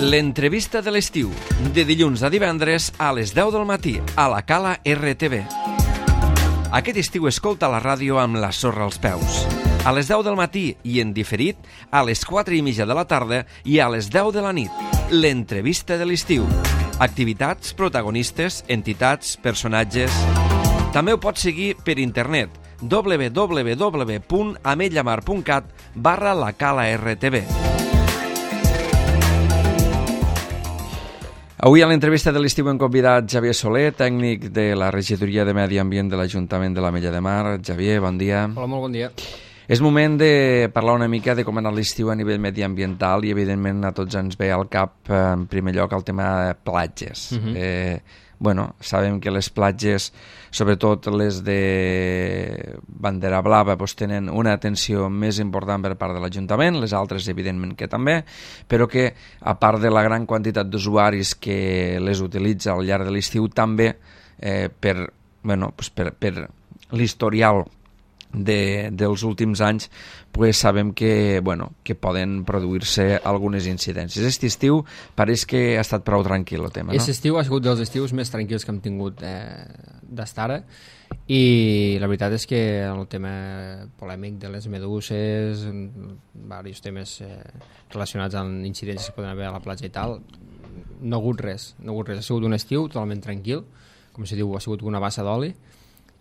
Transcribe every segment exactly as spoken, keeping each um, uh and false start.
L'entrevista de l'estiu, de dilluns a divendres a les deu del matí, a la Cala R T V. Aquest estiu escolta la ràdio amb la sorra als peus. A les deu del matí i en diferit, a les quatre i mitja de la tarda i a les deu de la nit. L'entrevista de l'estiu. Activitats, protagonistes, entitats, personatges... També ho pots seguir per internet, w w w punt ametlla mar punt cat barra la Cala R T V. Avui a l'entrevista de l'estiu hem convidat Xavier Soler, tècnic de la Regidoria de Medi Ambient de l'Ajuntament de l'Ametlla de Mar. Xavier, bon dia. Hola, molt bon dia. És moment de parlar una mica de com ha anat l'estiu a nivell mediambiental i, evidentment, a tots ens ve al cap, en primer lloc, el tema de platges. Uh-huh. eh, bueno, sabem que les platges, sobretot les de bandera blava, doncs tenen una atenció més important per part de l'Ajuntament, les altres, evidentment, que també, però que, a part de la gran quantitat d'usuaris que les utilitza al llarg de l'estiu, també eh, per, bueno, doncs per, per l'historial De, dels últims anys, pues sabem que, bueno, que poden produir-se algunes incidències. Aquest estiu pareix que ha estat prou tranquil el tema, no? Aquest estiu ha sigut dels estius més tranquils que hem tingut eh, d'estar ara, i la veritat és que el tema polèmic de les meduses, diversos temes eh, relacionats amb incidències que poden haver a la platja i tal, no ha hagut res, no ha hagut res. Ha sigut un estiu totalment tranquil, com se diu, ha sigut una bassa d'oli.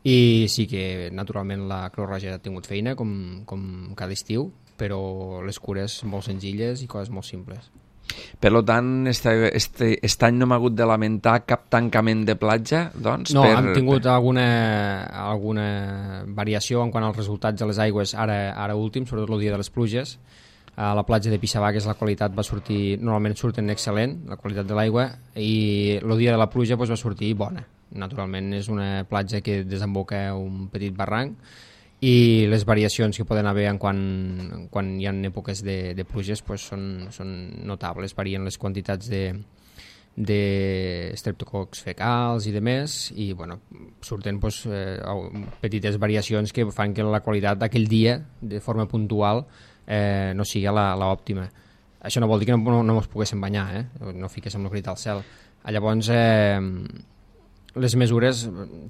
I sí que, naturalment, la Creu Roja ha tingut feina, com, com cada estiu, però les cures molt senzilles i coses molt simples. Per tant, este, este, este any no hem hagut de lamentar cap tancament de platja, doncs? No, per, hem tingut per... alguna, alguna variació en quant als resultats de les aigües, ara, ara últim, sobretot el dia de les pluges. A la platja de Pixavagues la qualitat va sortir, normalment surten excel·lent, la qualitat de l'aigua, i el dia de la pluja doncs, va sortir bona. Naturalment és una platja que desemboca un petit barranc i les variacions que poden haver en quan, quan hi ha èpoques de, de pluges pues són, són notables, varien les quantitats de, de streptococs fecals i de més, i bueno, surten pues, eh, petites variacions que fan que la qualitat d'aquell dia de forma puntual eh, no sigui l'òptima. Això no vol dir que no, no, no ens poguéssim banyar, eh? No fiquéssim la crita al cel. Llavors eh, les mesures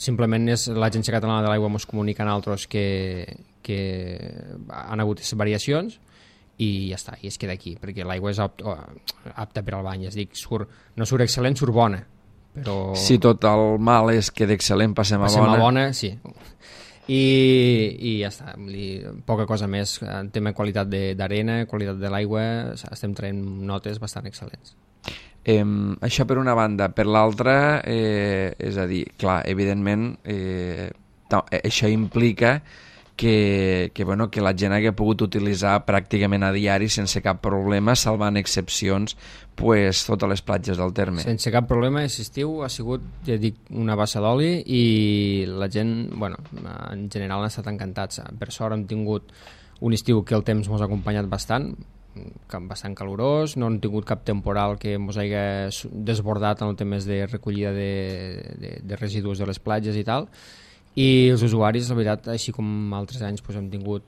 simplement és l'Agència Catalana de l'Aigua ens comunica a nosaltres que, que han hagut aquestes variacions i ja està, i es queda aquí, perquè l'aigua és apta, apta per al bany, és dir, surt, no surt excel·lent, surt bona. Però... Si tot el mal és que d'excel·lent passem a passem bona. Passem a bona, sí. I, i ja està, poca cosa més. En tema qualitat d'arena, qualitat de l'aigua, estem traient notes bastant excel·lents. Eh, això per una banda. Per l'altra, eh, és a dir, clar, evidentment eh, això implica que, que, bueno, que la gent hagi pogut utilitzar pràcticament a diari sense cap problema, salvant excepcions, pues, totes les platges del terme. Sense cap problema, aquest estiu ha sigut, ja dic, una bassa d'oli i la gent, bueno, en general han estat encantats. Per sort hem tingut un estiu que el temps ens ha acompanyat bastant, bastant calorós, no hem tingut cap temporal que ens hagi desbordat en els temes de recollida de, de, de residus de les platges i tal, i els usuaris, la veritat, així com altres anys doncs, hem tingut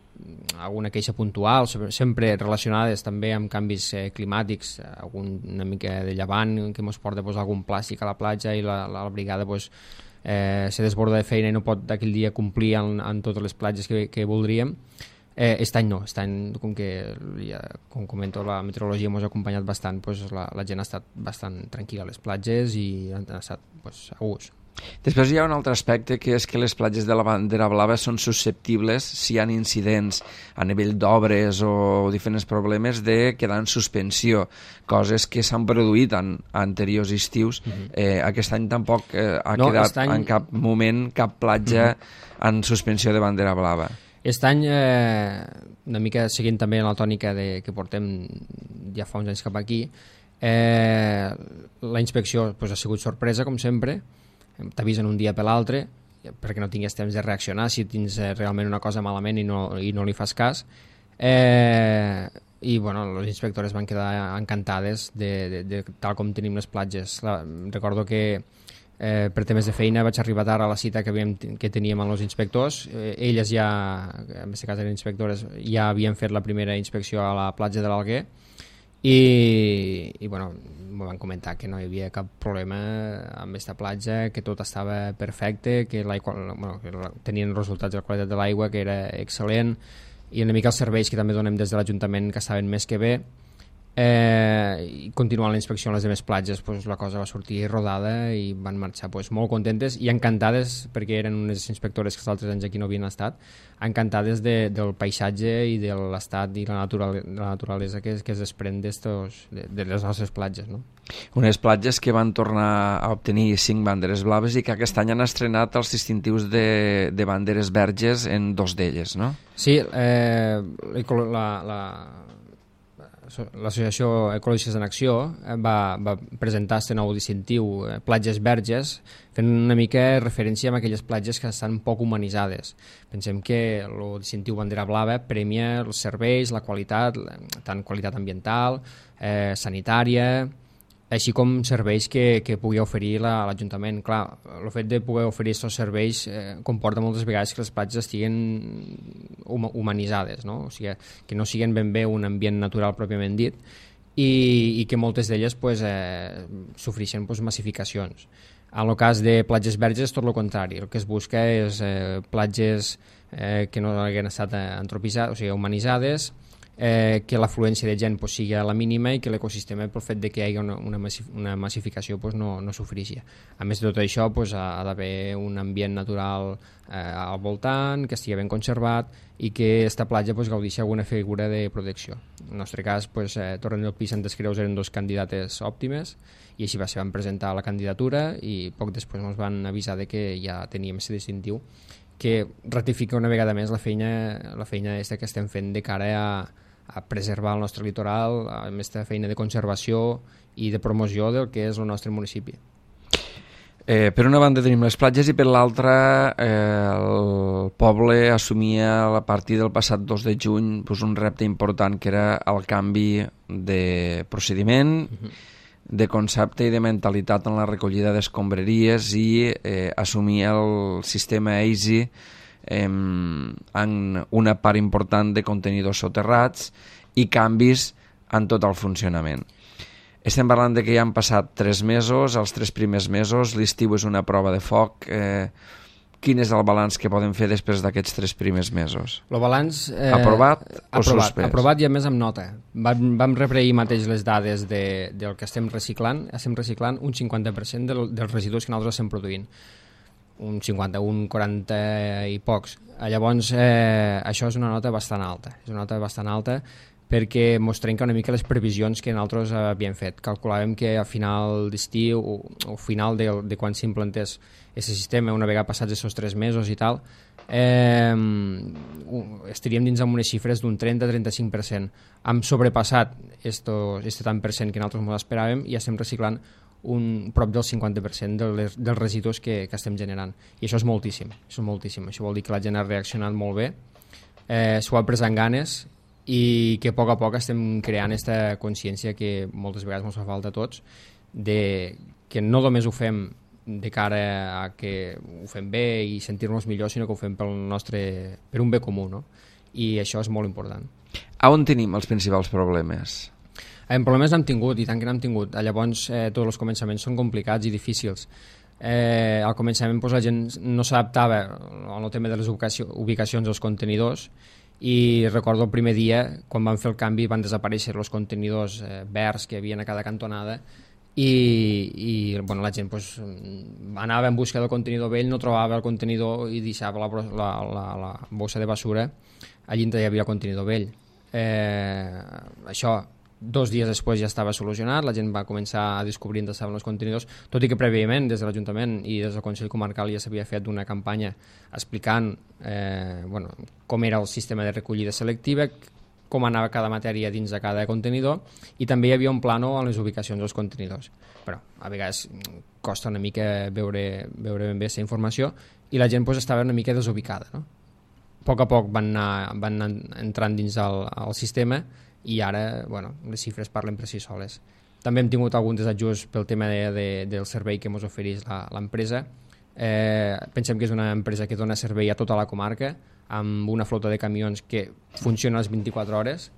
alguna queixa puntual, sempre relacionades també amb canvis eh, climàtics, algun, una mica de llevant que ens porta doncs, algun plàstic a la platja i la, la, la brigada doncs, eh, se desborda de feina i no pot aquell dia complir en, en totes les platges que, que voldríem. Eh, aquest any no, aquest any, com que ja, com comento, la meteorologia ens ha acompanyat bastant, pues, la, la gent ha estat bastant tranquil·la a les platges i han estat pues, a gust. Després hi ha un altre aspecte, que és que les platges de la bandera blava són susceptibles, si hi ha incidents a nivell d'obres o diferents problemes, de quedar en suspensió, coses que s'han produït en anteriors estius. Uh-huh. eh, aquest any tampoc eh, ha no, quedat any... en cap moment cap platja uh-huh. en suspensió de bandera blava. Aquest any, eh, una mica seguint també en la tònica de, que portem ja fa uns anys cap aquí, eh, la inspecció pues, ha sigut sorpresa, com sempre, t'avisen un dia per l'altre, perquè no tingués temps de reaccionar si tens realment una cosa malament i no, i no li fas cas. Eh, I bueno, les inspectores van quedar encantades de, de, de tal com tenim les platges. La, recordo que Eh, per temes de feina vaig arribar tard a la cita que, havíem, que teníem amb els inspectors. Eh, elles ja, en aquest cas eren inspectores, ja havien fet la primera inspecció a la platja de l'Alguer i, i bueno, m'ho van comentar que no hi havia cap problema amb aquesta platja, que tot estava perfecte, que, bueno, que tenien resultats de la qualitat de l'aigua, que era excel·lent, i una mica els serveis que també donem des de l'Ajuntament, que estaven més que bé. Eh, i continuant la inspecció en les demés platges, pues, la cosa va sortir rodada i van marxar pues, molt contentes i encantades, perquè eren unes inspectores que els altres anys aquí no havien estat, encantades de, del paisatge i de l'estat i la, natural, la naturalesa que, que es desprèn de, de les nostres platges, no? Unes platges que van tornar a obtenir cinc banderes blaves i que aquest any han estrenat els distintius de, de banderes verges en dos d'elles, no? Sí, eh, la, la l'Associació Ecologistes en Acció va, va presentar aquest nou distintiu, eh, platges verges, fent una mica referència a aquelles platges que estan poc humanitzades. Pensem que el distintiu bandera blava premia els serveis, la qualitat, tant qualitat ambiental, eh, sanitària, així com serveis que, que pugui oferir l'Ajuntament. Clar, el fet de poder oferir aquests serveis eh, comporta moltes vegades que les platges estiguin humanitzades, no? O sigui, que no siguin ben bé un ambient natural pròpiament dit i, i que moltes d'elles pues, eh, sofreixen pues, massificacions. En el cas de platges verges és tot el contrari. El que es busca és eh, platges eh, que no hagin estat antropitzades, o sigui, humanitzades, Eh, que l'afluència de gent pues, sigui a la mínima i que l'ecosistema, pel fet de que hi hagi una, una, massif una massificació, pues, no, no sofreixi. A més de tot això, pues, ha, ha d'haver un ambient natural eh, al voltant, que estigui ben conservat i que aquesta platja pues, gaudeixi alguna figura de protecció. En el nostre cas, pues, eh, Torrent del Pi i Santes Creus eren dos candidates òptimes i així va ser, van presentar la candidatura i poc després ens van avisar de que ja teníem aquest distintiu, que ratifica una vegada més la feina, la feina aquesta que estem fent de cara a a preservar el nostre litoral, amb aquesta feina de conservació i de promoció del que és el nostre municipi. Eh, per una banda tenim les platges i per l'altra eh, el poble assumia a partir del passat dos de juny pues, un repte important que era el canvi de procediment, uh-huh. de concepte i de mentalitat en la recollida d'escombraries i eh, assumir el sistema EASY en una part important de contenidors soterrats i canvis en tot el funcionament. Estem parlant de que ja han passat tres mesos, els tres primers mesos, l'estiu és una prova de foc. Eh, quin és el balanç que podem fer després d'aquests tres primers mesos? El balanç... Eh, aprovat o aprovat, suspès? Aprovat i a més amb nota. Vam, vam rebre ahir mateix les dades de, del que estem reciclant. Estem reciclant un cinquanta per cent del, dels residus que nosaltres estem produint. Un cinquanta, un quaranta i pocs. Llavors, eh, això és una nota bastant alta. És una nota bastant alta perquè mos trenca una mica les previsions que nosaltres havíem fet. Calculàvem que a final d'estiu o, o final de, de quan s'implantés aquest sistema, una vegada passats aquests tres mesos i tal, eh, estaríem dins amb unes xifres d'un trenta a trenta-cinc per cent. Hem sobrepassat aquest tant per cent que nosaltres ens esperàvem i estem reciclant un prop del cinquanta per cent dels, dels residus que, que estem generant. I això és moltíssim, això és moltíssim. Això vol dir que la gent ha reaccionat molt bé, eh, s'ho ha pres amb ganes i que a poc a poc estem creant aquesta consciència que moltes vegades ens fa falta a tots, de que no només ho fem de cara a que ho fem bé i sentir-nos millor, sinó que ho fem pel nostre, per un bé comú, no? I això és molt important. A on tenim els principals problemes? En problemes n'hem tingut, i tant que n'hem tingut. Llavors, eh, tots els començaments són complicats i difícils. Eh, al començament pues, la gent no s'adaptava al tema de les ubicacions dels contenidors i recordo el primer dia, quan van fer el canvi, van desaparèixer els contenidors eh, verds que hi havia a cada cantonada i, i bueno, la gent pues, anava en busca del contenidor vell, no trobava el contenidor i deixava la, la, la, la bossa de basura allí on hi havia el contenidor vell. Eh, això dos dies després ja estava solucionat, la gent va començar a descobrir on estaven els contenidors, tot i que prèviament des de l'Ajuntament i des del Consell Comarcal ja s'havia fet una campanya explicant eh, bueno, com era el sistema de recollida selectiva, com anava cada matèria dins de cada contenidor i també hi havia un plano a les ubicacions dels contenidors. Però a vegades costa una mica veure, veure ben bé aquesta informació i la gent pues, estava una mica desubicada. No? A poc a poc van anar, van anar entrant dins el, el sistema i ara bueno, les xifres parlen per si soles. També hem tingut algun desajust pel tema de, de, del servei que ens ofereix l'empresa. Eh, pensem que és una empresa que dona servei a tota la comarca amb una flota de camions que funciona a les vint-i-quatre hores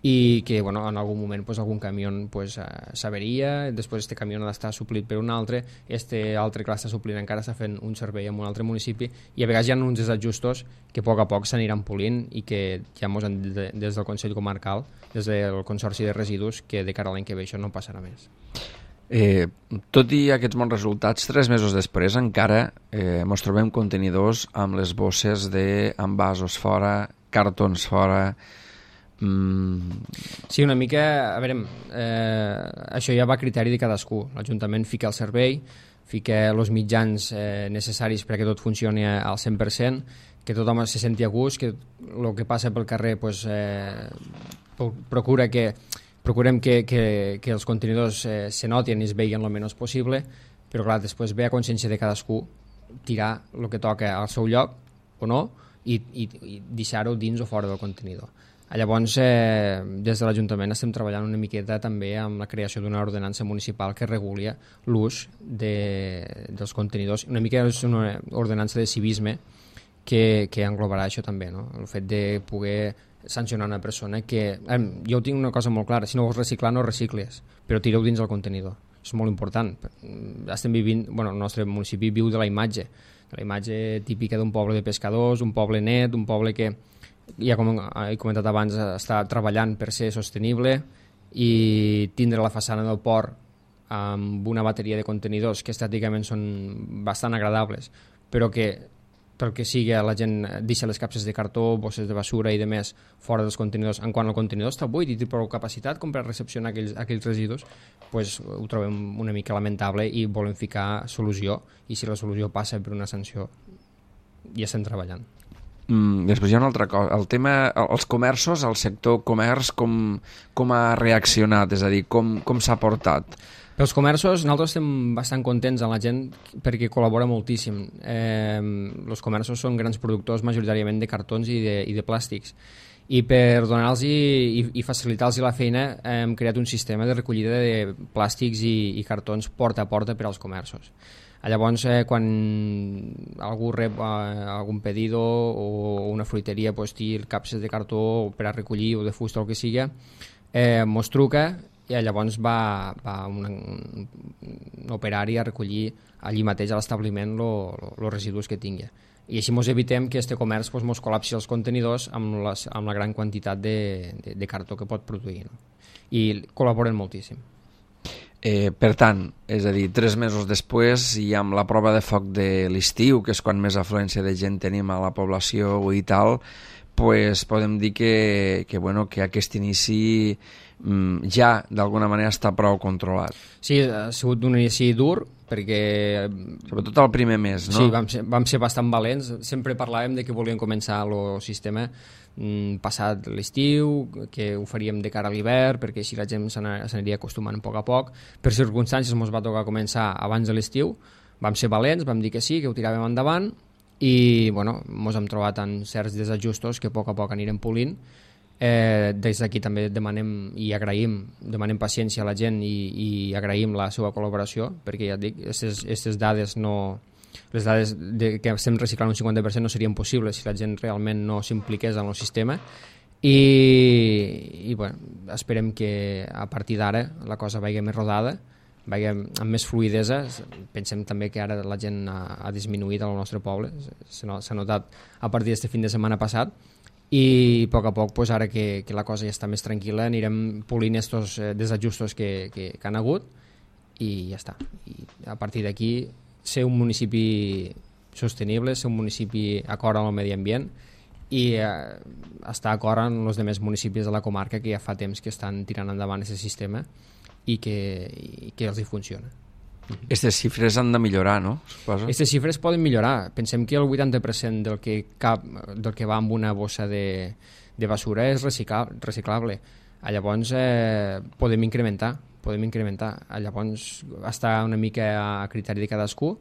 i que bueno, en algun moment pues, algun camió pues, uh, s'averia, després este camió ha d'estar suplit per un altre, este altre que l'està suplint encara està fent un servei en un altre municipi, i a vegades hi ha uns desajustos que a poc a poc s'aniran polint i que ja mos han dit de, des del Consell Comarcal, des del Consorci de Residus, que de cara a l'any que ve això no passarà més. Eh, tot i aquests bons resultats, tres mesos després encara eh, mos trobem contenidors amb les bosses d'envasos fora, cartons fora. Mm. Sí, una mica, a veure, eh, això ja va a criteri de cadascú. L'Ajuntament fica el servei, fica els mitjans eh, necessaris perquè tot funcioni al cent per cent, que tothom se senti a gust, que el que passa pel carrer pues, eh, procura que procurem que, que, que els contenidors eh, se notin i es veien el menys possible, però clar, després ve a consciència de cadascú tirar el que toca al seu lloc o no i, i, i deixar-ho dins o fora del contenidor. Llavors, eh, des de l'Ajuntament estem treballant una miqueta també amb la creació d'una ordenança municipal que reguli l'ús de, dels contenidors. Una mica és una ordenança de civisme que, que englobarà això també, no? El fet de poder sancionar una persona que... Eh, jo tinc una cosa molt clara, si no vols reciclar no recicles, però tireu dins el contenidor. És molt important. Estem vivint... Bueno, el nostre municipi viu de la imatge, de la imatge típica d'un poble de pescadors, un poble net, un poble que, ja com he comentat abans, està treballant per ser sostenible i tindre la façana del port amb una bateria de contenidors que estèticament són bastant agradables, però que pel que sigui la gent deixa les capses de cartó, bosses de basura i de més fora dels contenidors. En quant el contenidor està buit i té prou capacitat com per recepcionar aquells, aquells residus, pues, ho trobem una mica lamentable i volem ficar solució, i si la solució passa per una sanció ja estem treballant. Mm, després hi ha una altra cosa, el tema, els comerços, el sector comerç, com, com ha reaccionat, és a dir, com, com s'ha portat? Pels comerços, nosaltres estem bastant contents amb la gent perquè col·labora moltíssim. Eh, els comerços són grans productors majoritàriament de cartons i de, i de plàstics. I per donar-los i, i, i facilitar-los la feina hem creat un sistema de recollida de plàstics i, i cartons porta a porta per als comerços. Llavors, eh, quan algú rep eh, algun pedido o una fruiteria pues, té capses de cartó per a recollir o de fusta o el que sigui, eh, mos truca i llavors va, va un, un operari a recollir allí mateix a l'establiment els residus que tingui. I així ens evitem que este comerç pues, mos col·lapsi els contenidors amb, les, amb la gran quantitat de, de, de cartó que pot produir. No? I col·laboren moltíssim. Eh, per tant, és a dir, tres mesos després i amb la prova de foc de l'estiu, que és quan més afluència de gent tenim a la població i tal, pues podem dir que, que, bueno, que aquest inici mm, ja d'alguna manera està prou controlat. Sí, ha sigut un inici dur perquè... Sobretot el primer mes, no? Sí, vam ser, vam ser bastant valents. Sempre parlàvem de que volíem començar el sistema mm, passat l'estiu, que ho faríem de cara a l'hivern, perquè així la gent s'aniria acostumant a poc a poc. Per circumstàncies ens va tocar començar abans de l'estiu. Vam ser valents, vam dir que sí, que ho tiràvem endavant, i bueno, ens hem trobat en certs desajustos que a poc a poc anirem polint. Eh, des d'aquí també demanem i agraïm, demanem paciència a la gent i, i agraïm la seva col·laboració, perquè ja et dic, aquestes dades no, les dades de, que estem reciclant un cinquanta per cent no serien possibles si la gent realment no s'impliqués en el sistema. I, i bueno, esperem que a partir d'ara la cosa vagi més rodada, vagi amb més fluïdesa. Pensem també que ara la gent ha, ha disminuït al nostre poble, s'ha notat a partir d'aquest fin de setmana passat, i a poc a poc, pues, ara que, que la cosa ja està més tranquil·la, anirem polint estos eh, desajustos que, que, que han hagut i ja està. I a partir d'aquí, ser un municipi sostenible, ser un municipi acord amb el medi ambient i eh, estar acord amb els altres municipis de la comarca que ja fa temps que estan tirant endavant aquest sistema i que, i que els hi funciona. Aquestes xifres han de millorar, no? Aquestes xifres poden millorar. Pensem que el vuitanta per cent del que, cap, del que va amb una bossa de, de basura és reciclable. reciclable. Llavors eh, podem incrementar, podem incrementar. Llavors està una mica a criteri de cadascú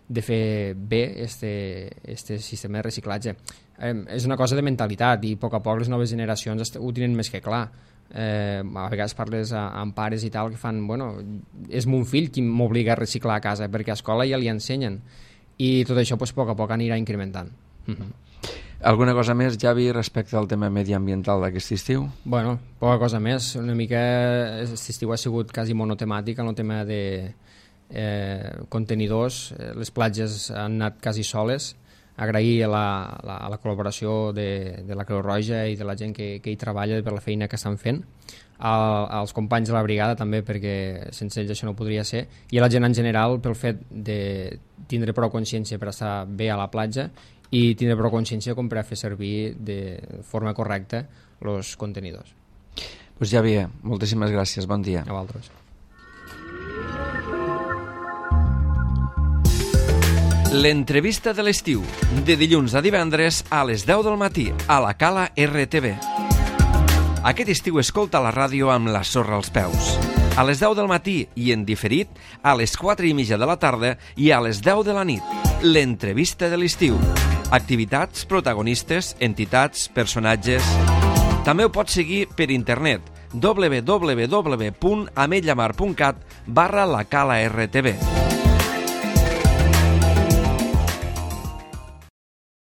de fer bé este, este sistema de reciclatge. Eh, és una cosa de mentalitat i a poc a poc les noves generacions ho tenen més que clar. Eh, a vegades parles a, amb pares i tal que fan, bueno, és mon fill qui m'obliga a reciclar a casa perquè a escola ja li ensenyen i tot això pues, a poc a poc anirà incrementant. Mm-hmm. Alguna cosa més, Javi, respecte al tema mediambiental d'aquest estiu? Bueno, poca cosa més. Una mica aquest estiu ha sigut quasi monotemàtic en el tema de eh, contenidors. Les platges han anat quasi soles. Agrair a la, la, a la col·laboració de, de la Creu Roja i de la gent que, que hi treballa per la feina que estan fent. A, als companys de la brigada també, perquè sense ells això no podria ser, i a la gent en general pel fet de tindre prou consciència per estar bé a la platja i tindre prou consciència com per a fer servir de forma correcta els contenidors. Pues ja bé, moltíssimes gràcies, bon dia. A vosaltres. L'entrevista de l'estiu, de dilluns a divendres a les deu del matí, a la Cala R T V. Aquest estiu escolta la ràdio amb la sorra als peus. A les deu del matí i en diferit, a les quatre i mitja de la tarda i a les deu de la nit. L'entrevista de l'estiu. Activitats, protagonistes, entitats, personatges... També ho pots seguir per internet w w w punt ametlllamar punt cat barra la Cala R T V.